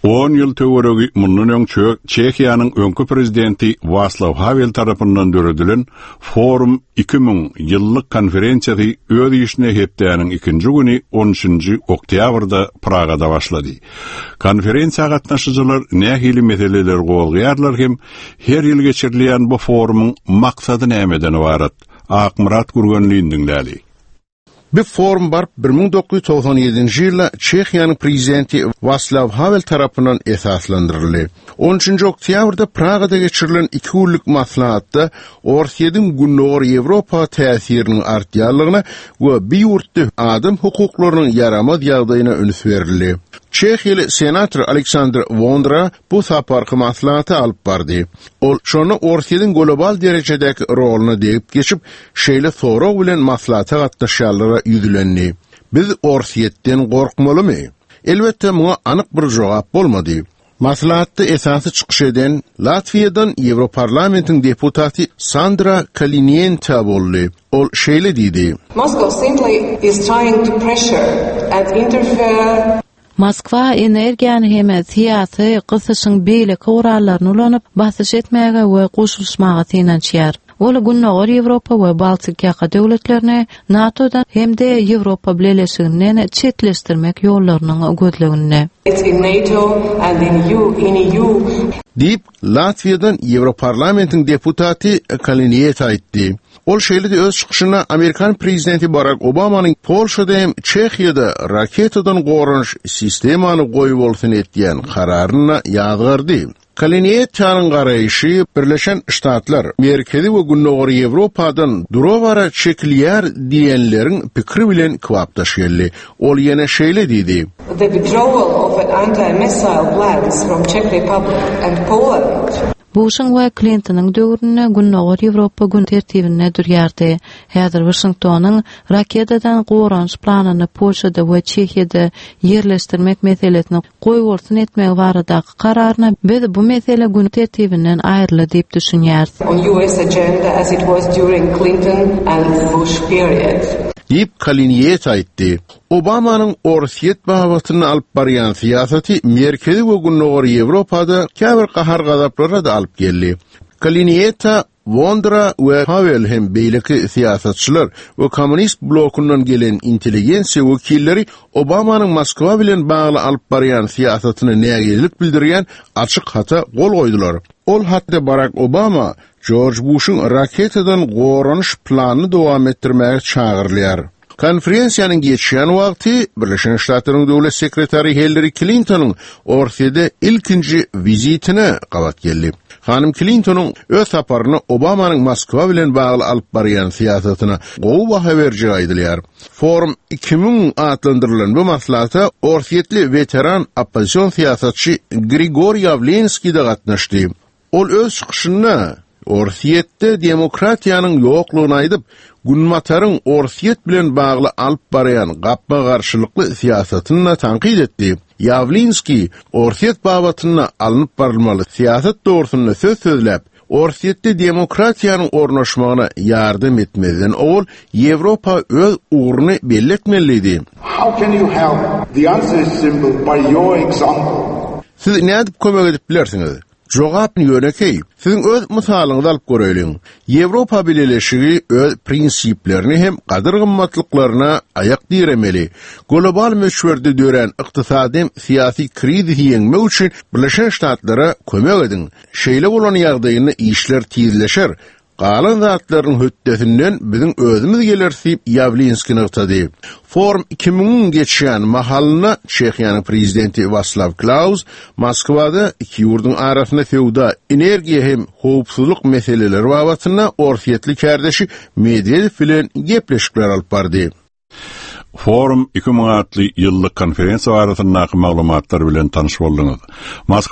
On ýyl töweregi mundan öň Çehiýanyň öňki prezidenti Waslaw Hawel tarapyndan döredilen Forum 2000 ýyllyk konferensiýasy öz işine hepdäniň ikinji güni on üçünji oktýabrda Pragada başlady. Konferensiýa gatnaşyjylar nähili meseleleri gozgaýarlar hem her ýyl geçirilýän bu forumyň maksady nämeden ybarat? Akmyrat Gürgenlini diňläli. Bu forum baryp 1997-nji ýylda Çehiýanyň prezidenti Waslaw Hawel tarapyndan esaslandyryldy. On üçünji oktýabrda Pragada geçirilen iki günlük maslahatda Orsýetiň Gündogar Ýewropa täsiriniň artýanlygyna we bu ýurtda adam hukuklarynyň ýaramaz ýagdaýyna üns berildi. Çehiýaly senator Aleksandr Wondra bu saparky maslahaty alyp bardy. Ol şonda Orsýetiň global derejedäki roluna degip geçip, şeýle sorag bilen maslahata gatnaşýanlara ýüzlendi, Biz Orsýetden gorkmalymy? Elbetde, muňa anyk bir jogap bolmady. Maslahatda esasy çykyş eden Latwiýadan Ýewroparlamentiň deputaty Sandra Kalinienta boldy. Ol şeýle diýdi. Moscow simply is trying to pressure and interfere. Moskwa energiýany hem syýasy gysyşyň beýleki gurallaryny ulanyp, basyş etmäge we goşulyşmaga synanyşýar. Ol Gündogar Ýewropa we Baltik ýaka döwletlerini NATO-dan hem-de Ýewropa Bileleşiginden çetleşdirmek ýollarynyň gözleginde. It's in NATO and in EU, in EU. Diýip, Latwiýadan Ýewroparlamentiň deputaty Kaliniýete aýtdy. Ol şeýle-de öz çykyşynda amerikan prezidenti Barak Obamanyň Polşada hem Çehiýada raketadan goranyş sistemany goýbolsun etýän kararyny ýazgardy. Kaliniýetanyň garaýşy Birleşen Ştatlar Merkezi we Gündogar Ýewropadan dura-bara çekilýär diýenleriň pikiri bilen kybapdaş geldi. Ol ýene şeýle diýdi. The withdrawal of anti-missile plans from Czech Republic and Poland. Buşuň we Klintonyň döwründe Gündogar Ýewropa gün tertibinde durýardy. Häzir Waşingtonyň raketadan goranyş planyny Polşada we Çehiýada ýerleşdirmek meselesini goýbolsun etmegi baradaky kararyna biz bu mesele gün tertibinden aýryldy diýip düşünýäris. On US agenda as it was during Clinton and Bush period. Diýip, Kaliniýet aýtdy. Obamanyň Orsýet babatynda alyp barýan syýasaty Merkezi we Gündogar Ýewropada käbir gahar-gazaplara-da alyp geldi. Kaliniýeta Wondra we Hawel hem beýleki syýasatçylar we kommunist blokundan gelen intelligensiýa wekilleri Obamanyň Moskwa bilen bagly alyp barýan syýasatyna nägilelik bildirýän açyk hata gol goýdular. Ol hatda Barak Obama Jorj Buşuň raketadan goranyş planyny dowam etdirmäge çagyrylýar. Konferensiýanyň geçýän wagty Birleşen Ştatlaryň Döwlet sekretary Hillari Klintonyň Orsýede ilkinji wizitine gabat geldi. Hanym Klintonyň öz saparynda Obamanyň Moskwa bilen bagly alyp barýan syýasatyna gowy baha berjegi aýdylýar. Forum 2000 atlandyrylan bu maslahata orsýetli weteran oppozision syýasatçy Grigoriý Ýawlenskiý-de gatnaşdy. Ol öz çykyşynda Orsýetde demokratiýanyň ýoklugyny aýdyp, Günbataryň Orsýet bilen bagly alyp barýan gapma-garşylykly syýasatyny-da tankyt etdi. Ýawlinskiý Orsýet babatynda alnyp barylmaly syýasat dogrusynda söz sözläp, Orsýetde demokratiýanyň ornaşmagyna ýardam etmezden owal Ýewropa öz ugruny belli etmeli diýdi. How can you help? The answer is simple, by your example. Siz nädip kömek edip bilersiňiz? Jogap ýönekeý. Siziň öz mysalyňyzy alyp göreýliň. Ýewropa Bileleşigi öz prinsiplerine hem gadyr-gymmatlyklaryna aýak diremeli. Global möçberde dörän ykdysady hem syýasy krizisi ýeňmek üçin Birleşen Ştatlara kömek ediň. Şeýle bolan ýagdaýynda işler tizleşer, Galan zatlaryň hötdesinden biziň özümiz geleris diýip, Ýawlinskiý nygtady. Forum 2000-iň geçýän mahalynda Çehiýanyň prezidenti Waslaw Klaus Moskwada iki ýurduň arasynda söwda, energiýa hem howpsuzlyk meseleleri babatynda orsýetli kärdeşi Medwedew bilen gepleşikler alyp bardy. Forum 2000 atly ýyllyk konferensiýa barasyndaky maglumatlar bilen tanyş bolduňyz. Moskwa.